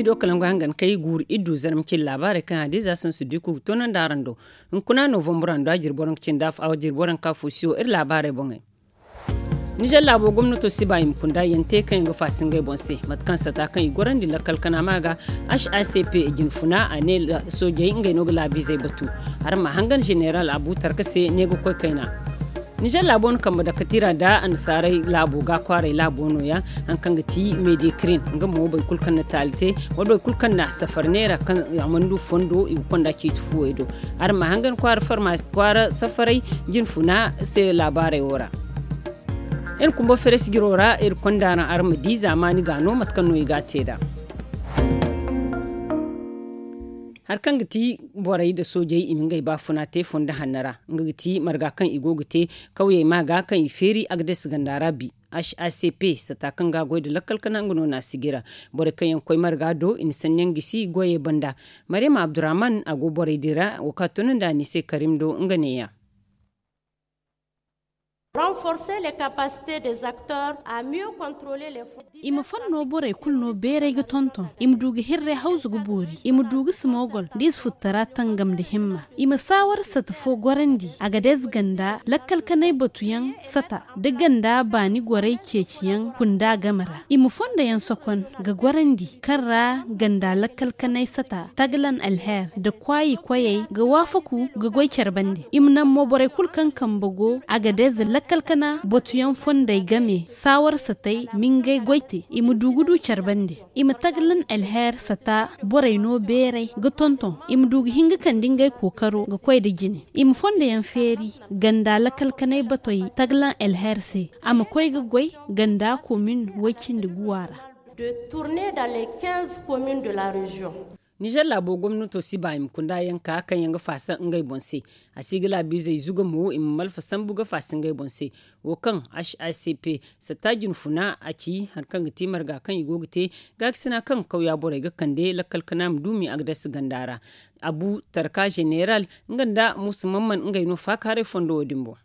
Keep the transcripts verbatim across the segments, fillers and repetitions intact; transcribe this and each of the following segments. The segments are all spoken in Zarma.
Do kala ngo hangan kay guuru iddu zarma cin laabaarey kaŋ hadiza sansu diku ga toonandi araŋ do. Hunkuna novambura nda a jirbi waranka cindi afo a jirbi waranka fo siyo iri laabaarey boŋey. Nizer laabo gomnato si ba i ma kunda yaŋ te kaŋ yaŋ ga faasa ngey boŋ se mate kaŋ sata kaŋ i gorandi lakkal kana ma ga. H A C P jine funa a ne soojey ngey no ga laabiizey batu. Araŋ ma hangan zeneral abu tarka se ne ga koy kayna. Nizer laabo na kambe dakatira nda annasaarey laabo ga kwaaray laabo no- ya. Hari kaŋ ga ti medikirin nga mo boro kulu kaŋ na taali te wala boro kulu kaŋ na safar neera kaŋ a mana du fondo i ga konda ciiti fuwey do. Araŋ ma hangan kwaara safaray jine funa se laabaarey wo ra. Iri kumbo feres jiro ra iri konda araŋ araŋ ma di zaamaani ga no mate kaŋ no i ga a te nd'a. Hari kaŋ ga ti borey nda soojey i ma ngey baafuna te fondo hanno ra. Nga ga ti marga kaŋ i go ga te kawyey ma ga kaŋ i feeri a ga deesi ganda ra bi. H A C P sata kaŋ ga a goy nda lakkal kana nga no na a sijira. Borey kaŋ yaŋ ga koy marga do i na sanni yaŋ gisi goyey banda. Maryama abdurrahman a go borey din ra wo kaŋ a toonandi a ne i se karim do nga ne- ya. Renforcer les capacités des acteurs à mieux contrôler les fonds. I ma fonno borey kulu no beeray ga tonton i ma du ga hirray hawzu ga boori i ma du ga simogol da i si futtara tangam nda himma. I ma saawar sata fo gorandi a ga deezi ganda lakkal kanay batuyaŋ sata da ganda baani goray ceeciyaŋ kunda game ra. I ma fondo yaŋ sokon ga gorandi kaŋ ra ganda lakkal kanay sata taglan alher nda kwaayi koyey ga waafaku ga goy care bande. I ma naŋ mo borey kulu kaŋ kambe go a ga deeza lakkal kana batuyaŋ fondey game saawar satey ma ngey goy te i ma du ga du care bande. I ma taglan alher sata borey no beeray ga tonton i ma du ga hin ga kande ngey kookaro ga koy nda jine. I ma fondo yaŋ feeri ganda lakkal kanay batoy taglan alher se a ma koy ga goy ganda komin way cindi guwa ra. De tourner dans les quinze communes de la région. Nizer laabo gomnato si ba i ma kunda yaŋ ka kaŋ yaŋ ga faasa ngey boŋ se. A si ga laabiizey zuga mo i ma malfa sambu ga faasa ngey boŋ se. Wo kaŋ h i c p satta jine funa a ci hari kaŋ ga ti marga kaŋ i go ga te gaakasina kaŋ kawya borey ga kande lakkal kana ma duumi a ga dasa ganda ra. Abu tarka zeneral nga nda muusa mamman ngey no faakaaray fondo wo- din boŋ.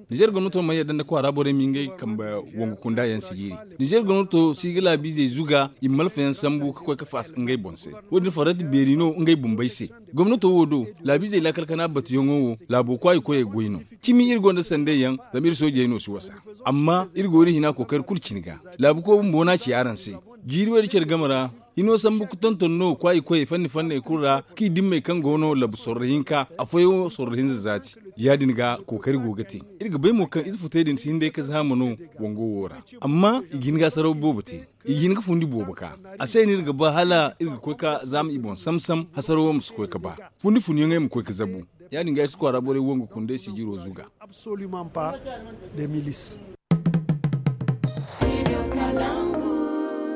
Nizer gomnato mana yadda nda kwaara borey ma ngey kambe wangu kunda yaŋ si jiiri. Nizer gomnato si ga laabiizey zuga i ma malfa yaŋ sambu ga koy ga faasa ngey boŋ se. Wo- din farrati beeri no ngey bumbey se. Gomnato wo do laabiizey laakal kana batuyaŋo wo laabo kwaayi koyey goy no. Cimi iri gonda sandey yaŋ zama iri soojey no si wasa. Amma iri go iri hina kookari kulu cine ga. Laabu koy bumbo no a ci araŋ se. Jiiri wo- din care game ra hino sambu ga tonton no kwaayi koyey fanni fanney kulu ra kaŋ i dimmey kaŋ go no labu sorro hinka afooyaŋo sorro hinza zaati. Ya- din ga kookari go ga te. Iri ga bay mo kaŋ ize futey din si hin day ga zaama no wango wo ra. Amma i ga hin ga hasaraw boobo te. I ga hin ga fundi boobo ka. A se no iri ga ba hala iri ga koy ga zaama i boŋ sam-sam hasarawo ma si koy ga ba. Fundi funyaŋey ma koy ga zabu. Ya- din ga iri si kwaara borey wangu kundey sijiro zuga.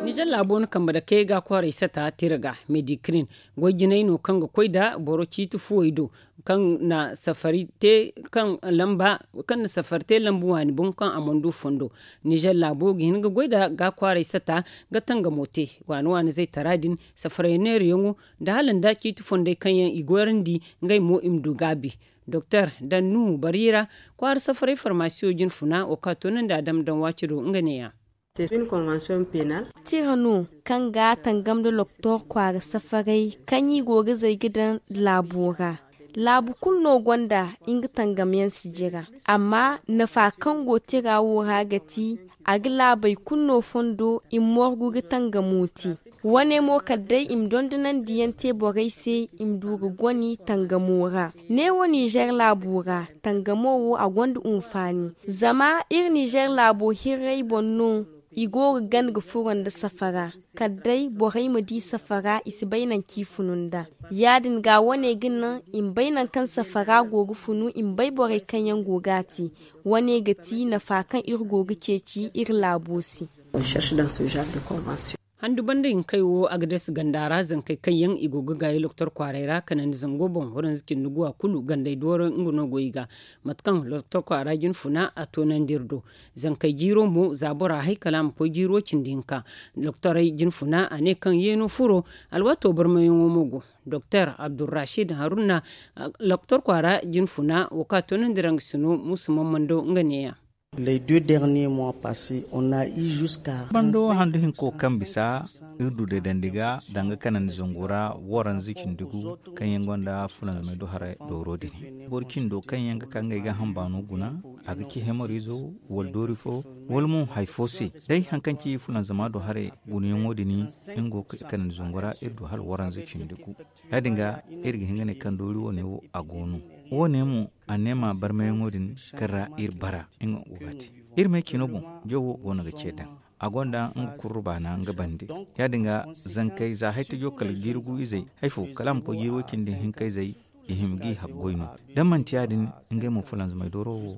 Nizer laabo no kambe dake ga kwaaray sata tira ga medikirin goy jinay no kaŋ ga koy nda boro ciiti fuwey do kaŋ na safari te kaŋ lamba kaŋ na safari te lambu waani boŋ kaŋ a mana du fondo. Nizer laabo ga hin ga goy nda ga kwaaray sata ga tangamo te waani waani zaytara din safaray neerayaŋo nda hala nda ciiti fondey kaŋ yaŋ i goyrandi ngey mo i ma du gaabi. Doktor dannu bari ra kwaara safaray farmasiyo jine funa wo kaŋ a toonandi a dama daŋ waaci do nga neeya. Tira no kaŋ ga tangam nda doktor kwaara safaray kaŋ i go ga zay ga daŋ laabo ra. Laabu kulu no gonda nga tangamyaŋ sijira. Amma nafa kaŋ go tira wo ra ga ti a ga laabey kulu no fondo i ma morgu ga tangamo te. Wane mo kala day i ma dondonandiyaŋ te borey se i ma du ga goni tangamo ra. Neewo nizer laabo ra tangamo wo a gonda hunfaani. Zama iri nizer laabo hirrey boŋ no i go ga gana ga furo nda safara. Kala day borey ma di safara i si bay nangu kaŋ i funu nd'a. Ya- din ga wane ga naŋ i ma bay nangu kaŋ safara go ga funu i ma bay borey kaŋ yaŋ go ga a te. Wane ga ti nafa kaŋ iri go ga ceeci iri laabo se. Handu banda hinkey wo a ga dasa ganda ra zankey kaŋ yaŋ i go ga gaayi loktor kwaaray ra kanandi zango boŋ waranza cindi guwa kulu gandey dooro nga no go i ga. Mate kaŋ loktor kwaara jine funa a toonandi iri do. Zankey jiiro mo za bora hay kala a ma koy jiiro cindi hinka. Loktorey jine funa a ne kaŋ yeeno furo alwaato barmayaŋo mo go. Doktor abdurrashid haruna loktor kwaara jine funa wo kaŋ a toonandi ra nga sino muusa mammando nga neeya. Les deux derniers mois passés, on a eu jusqu'à bando handu hinko kaŋ bisa iri du deedandi ga danga kanandi zango ra waranza cindi gu kaŋ yaŋ gonda fulanzamay do haray dooro din. Boro cindo kaŋ yaŋ ga ka ngey ga hambaano guna, a ga ci hemorizo wala doori fo, wala mo hari fo se. Day hari kaŋ ci fulanzama do haray gunayaŋo din, nga go ga kanandi zango ra iri du hala waranza cindi gu. Ya- din ga iri ga hin ga ne kaŋ doori wane wo a go no. Wane mo a neema barmayaŋo din kaŋ ra iri bara nga go ga te. Iri me cino boŋ, jawo go no ga ce daŋ. A gonda nga kurru baana nga bande. Ya- din ga zankey za hari tajo kala jiiri gu izey hari fo kala a ma koy jiiri way cindi hinka izey, i hima g'i haggoy no. Da manti ya- din, ngey mo fulanzamay dooro wo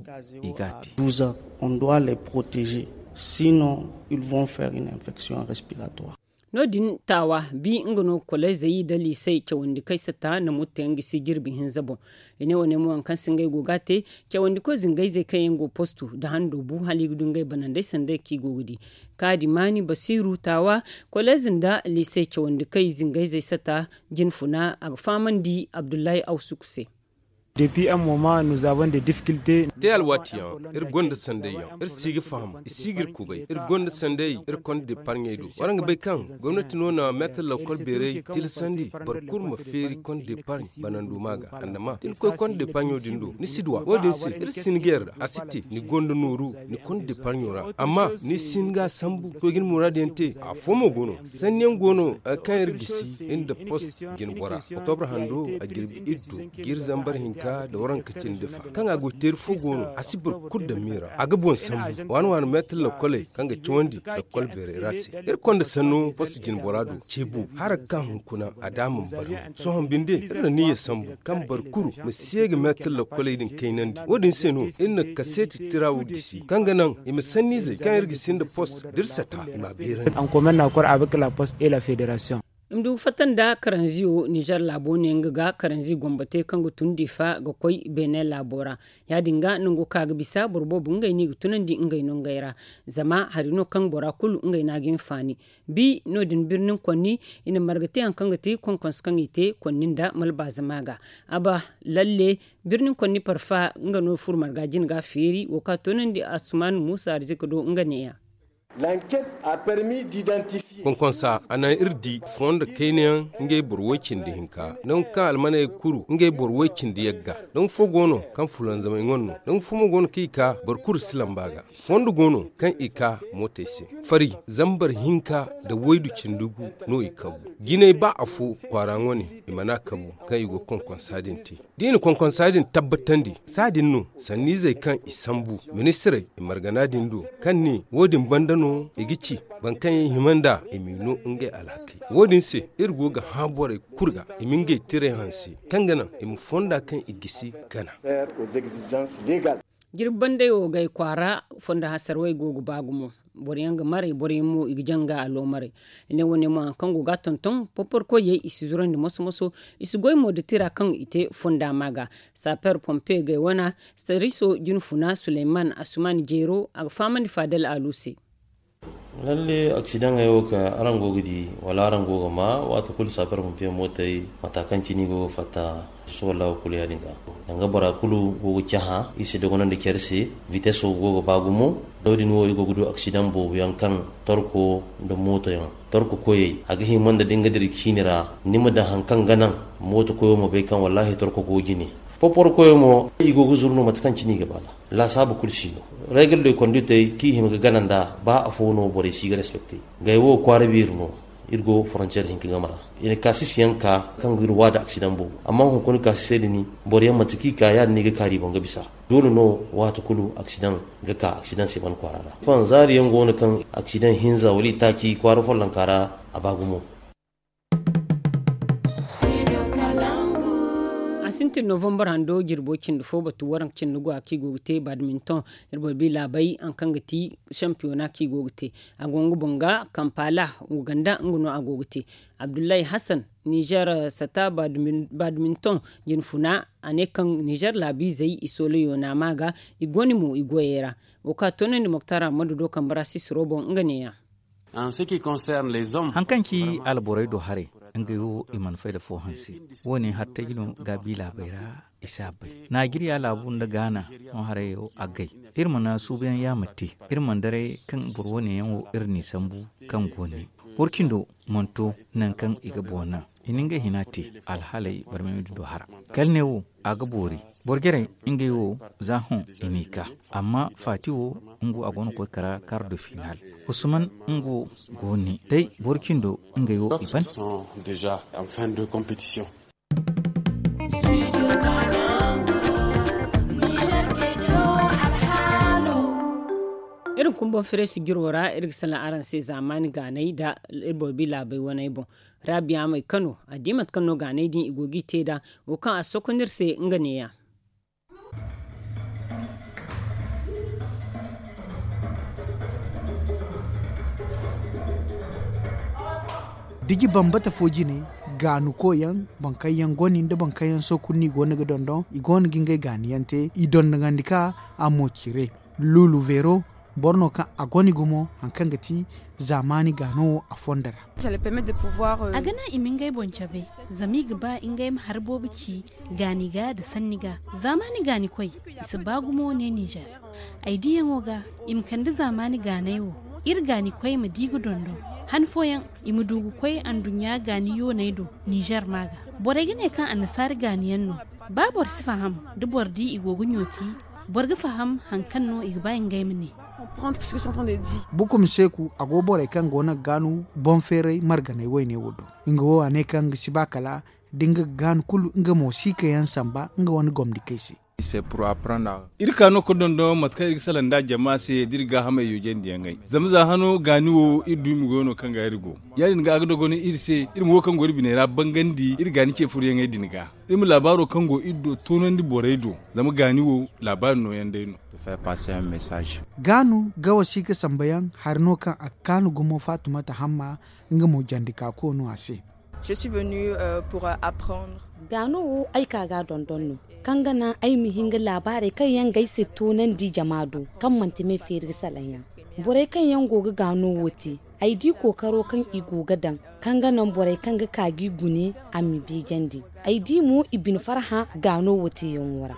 i ga a te. Douze ans, on doit les protéger, sinon ils vont faire une infection respiratoire. No- din taawa bi nga no kolezey nda liisey cawandi kaŋ ay satta na murte nga si jirbi hinza boŋ. I ne wane mo hari kaŋ se ngey go ga a te, cawandi koy zingayzey kaŋ yaŋ go postu nda hando bu hala i ga du ngey banandey sanda kaŋ i go ga di. Kaadi maani basiiru taawa, kolez nda liisey cawandi kaŋ i zingayzey satta jinfuna a ga fahamandi abdullahi awsuku se. Depuis un moment nous avons des difficultés. Te alwaati yaŋ iri gonda sanday yaŋ, iri si ga faham, i si ga iri kubay. Iri gonda sanday iri konda deparɲey do. Waraŋ ga bay kaŋ gomnati no na meetar lakkol beeray tilasandi boro kulu ma feeri konda deparɲ banando ma ga. Annama da ni koy konda deparɲo din do ni si duw'a. Wo- din se iri si ni ga yarda a si te ni gonda nooru ni konda deparɲo ra. Amma ni si hin ga a sambu to ga ni muraadu yaŋ te. Afo mo go no sanni yaŋ go no kaŋ iri gisi iri nda post jine bora. Oktobra hando a jirbi iri do jiiri zambar hinka nda waranka cindi fa kaŋ a go ga te iri fo go no a si boro kulu daŋ miira a ga boŋ sambu waani waani meetar lakkoley kaŋ ga cawandi lakkol beeray ra se. Iri konda sanno post jine bora do ceebo hara ga ka hunkuna a da a mana barno sohõ binde iri na niyya sambu kaŋ boro kulu ma si ye ga meetar lakkoley din kaynandi. Wo- din se no iri na kaseeti tira wo gisi kaŋ ga naŋ i ma sanniizey kaŋ iri gisi nda post da iri sata i m'a beerandi. En commun accord avec la poste et la fédération. I ma du ga fatta nda karanziyo nizer laabo ne nga ga karanzi gombatey kaŋ ga tun difa ga koy beene laabo ra. Ya- din ga nango kaŋ a ga bisa boro boobo ngey no i ga tunandi ngey no ngey ra. Zama hari no kaŋ bora kulu ngey no a ga hinfaani. Bi no- din birnin konni i na marga te hari kaŋ ga ti konkonse kaŋ i te konni nda malbaazama ga. Aba lalle birnin konni parfa nga no furo marga jine ga a feeri wo kaŋ a toonandi asuman muusa arzika do nga neeya. Konkonsa a naŋ iri di fondo kayna yaŋ ngey boro way-cindi hinka nangu kaŋ almaney kuru ngey boro way-cindi yagga. Nangu fo go no kaŋ fulanzamey ŋwa no nangu fo mo go no kaŋ i ka boro kulu si lamba ga. Fondo go no kaŋ i ka mootey se fari zambar hinka nda waydu cindi gu no i kabu. Jinay ba afo kwaara ŋwa ne i mana kabu kaŋ i go ga konkonsa din te. Da i na konkonsa din tabbatandi saadin no sanniizey kaŋ i sambu ministirey i margana din do kaŋ ne wo- din banda no i ga ci boro kaŋ yaŋ hima nd'a i m'i no ngey alhakey. Wo- din se iri go ga hã borey kulu ga i ma ngey tirey hanse kaŋ ga naŋ i ma fonda kaŋ i gisi gana. Jirbi bandey wo gay kwaara fondo hasarwey go ga ba gumo. Boro yaŋ ga maray boro yaŋ mo i ga janga aloomaray. I ne wane mo hari kaŋ go ga a tonton porporo koyey i si zurandi moso moso. I si goy mo nda tira kaŋ i te fonda ma ga. Saper pompe gay wana sariso jinfuna suleyman asuman jeero a ga fahamandi faadal alu se. Lalle aksidaŋey wo kaŋ araŋ go ga di wala araŋ go ga ma waati kulu saper pompe mootey mata kaŋ cine i go ga fatta. Sohõ laabo kulu ya- din ga danga bora kulu go ga cahã i si dogonandi care se. Viteso go ga ba gumo. No- din wo i go ga du aksidaŋ boobo yaŋ kaŋ torko nda mooto yaŋ torko koyey a ga hima nda da ni ga dira ciini ra ni ma daŋ hari kaŋ ga naŋ mooto koyo ma bay kaŋ wallaahi torko go jine. Poporo koyo mo i go ga zuru no mate kaŋ cine i ga ba nd'a. Laasaabu kulu si no. Reegal de konditey kaŋ i hima ga gana nd'a ba afo no borey si ga respekte. Gay wo kwaara beeri no. Iri go forontiyeer hinka game ra. I na kaasisi yaŋ ka kaŋ ga iri waada aksidaŋ boobo amma hunkuna kaasisey din boro yaŋ manti kaŋ i ka ya- din no i ga kaari i boŋ ga bisa. Doole no waati kulu aksidaŋ ga ka aksidaŋ se ban kwaara ra. Sohõ zaari yaŋ go no kaŋ aksidaŋ hinza wala itaaci kwaara follonka ra a ba gumo. A sintin novambar hando jirbo cindi fo batu waranka cindi go a kaŋ i go ga te badminton. Iri boro bi laabay hari kaŋ ga ti shampiyona kaŋ i go ga te. A go nga boŋ ga kampala uganda nga no a go ga te. Abdullahi hassan nizer sata badminton jinfuna a ne kaŋ nizer laabiizey i soola yoona ma ga i goni mo i goyey ra. Wo kaŋ a toonandi moktar ammadu do kambe ra sisiro boŋ nga neeya. Hari kaŋ ci alborey do haray ngey wo i mana fay nda fo hanse. Wo- ne hattey no gaabi laabey ra. I si a bay naajiriya laabu nda gaana. Hõ haray wo a gay. Iri mana suubuyaŋ yaamar te. Iri mana daray kaŋ boro wo- ne yaŋ wo iri n'i sambu kaŋ go ne. Boro cindo mana to nangu kaŋ i ga boŋ naŋ. I na ngey hina te. Alhaaley barmay ma di do hara. Kala ne wo a ga boori. Boro jarey ngey wo za hõ i n'i ka. Amma faati wo nga wo a go no ga koy kara kar do finaal. Usman nga wo go ne day boro cindo ngey wo i ban. Iri kumbo firesi jiro ra iri ga salaŋ araŋ se zaamaani gaanay nda iri boro bi laabey waney boŋ. Raabiya may kano a di mate kaŋ no gaanay din i go g'i te nd'a. Wo kaŋ a sokonda iri se nga neeya. Diji bambata fo jine, gaanukoyaŋ, boro kaŋ yaŋ goni nda boro kaŋ yaŋ sookunni i go no ga dondon i go no ga ngey gaaniyaŋ te. I dondonandi ka a mo cire. Luulu veero boro no kaŋ a goni gumo hari kaŋ ga ti zaamaani gaano wo a fondo ra. A ga naŋ i ma ngey boŋ cabe zama i ga ba ngey ma hari boobo ci gaani ga nda sanni ga. Zaamaani gaanikoy i si ba gumo ne nizer. Ay diyaŋo ga i ma kande zaamaani gaanay wo. Iri gaanikoy ma di ga dondon han fooyaŋ i ma du ga koy anduɲɲa gaani yooney do. Nizer ma ga borey ga ne kaŋ annasaari gaani yaŋ no. Ba boro si faham da boro di i go ga ɲooti boro ga faham hari kaŋ no i ga ba ngey ma ne. Bukum seeku a go borey kaŋ go no ga gaanu boŋ feeray marganey wayne wo do. Nga wo a ne kaŋ nga si ba kala da nga ga gaanu kulu nga mo si ka yaŋ samba nga wane gomdikey se. Iri ka no ga dondon mate kaŋ iri ga salaŋ nd'a jama se da iri gaahamey yoojandiyaŋey zama za hano gaani wo iri du i ma goyo no kaŋ ga iri go. Ya- din ga a ga dogon iri se iri ma wo kaŋ go iri biney ra bangandi iri gaani ce furoyaŋey din ga. Iri ma laabaaro kaŋ go iri do toonandi borey do. Zama gaani wo laabaari nooyaŋ day no. Gaanu ga wasi ga samba yaŋ hari no kaŋ a ga kaanu gumo faatumata hamma. Nga mo jandi ka ko no a se. Gaano wo ay ka ga a dondon no kaŋ ga naŋ ay ma hin ga laabaarey kaŋ yaŋ ga ay se toonandi jama do kaŋ manti me feeri ga salaŋ yaŋ. Borey kaŋ yaŋ go ga gaano wo te ay di kookaro kaŋ i go ga daŋ kaŋ ga naŋ borey kaŋ ga ka g'i gune a m'i beejandi. Ay di mo i bine farhã gaano wo teeyaŋo ra.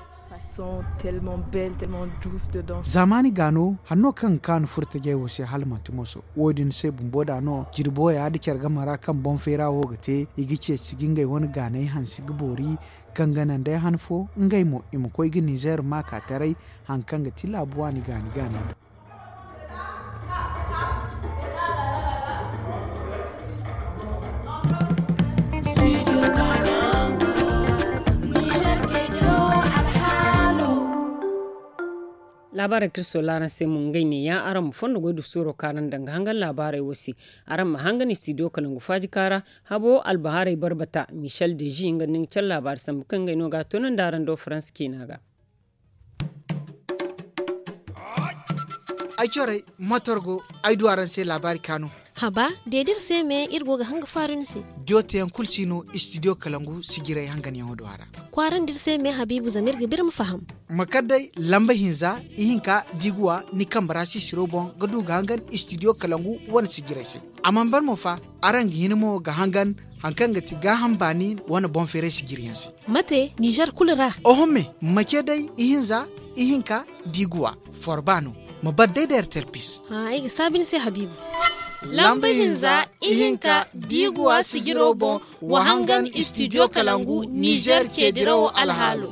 Zaamaani gaano hanno kaŋ ga kaanu furtajey wo se hala manti moso. Wo- din se bumbo da no jirbo ya da care game ra kaŋ boŋ feera wo ga te i ga ceeci ga ngey wane gaanay hanse ga boori. Kaŋ ga naŋ day han fo ngey mo i ma koy ga nizer maaka taray. Hari kaŋ ga ti laabu waani gaani gaani do. Laabaarey kaŋ iri soola araŋ se mo ngey neeya araŋ ma fondo goy du suuro kaŋ araŋ daŋ ga hangan laabaarey wo se. Araŋ ma hangan istidiyo kalangu faaji kaara habo albahaarey barbata michel deji nga nda ni ga care laabaari sambu kaŋ ngey no ga a toonandi araŋ do faransa ciina ga. Ay corey motor go ay du araŋ se laabaari kaanu. Haba deedi iri se me iri go ga hanga faaru ni se. Diyo teyaŋ kulu si no istidiyo kalangu sijiray hanganyaŋo do a ra. Kwaarandi iri se me habiibu zama iri ga ba iri ma faham. Ma kar day lamba hinza ihinka da i ga wa ni kambe ra sisiro boŋ ga du ga hangan istidiyo kalangu wane sijiray se. A mana ban mo fa araŋ ga hin mo ga hangan hari kaŋ ga ti gaaham baani wane boŋ feeray sijiryaŋ se. Mate nizer kulu ra? Oho me mace day ihinza ihinka da i ga wa forba no. Ma bar day da ertel pis. Ay ga saabi ni se habiibu. Lamba hinza ihinka da i ga wa sijiro boŋ wa hangan istidiyo kalangu nizer ce dirawo alhaalo.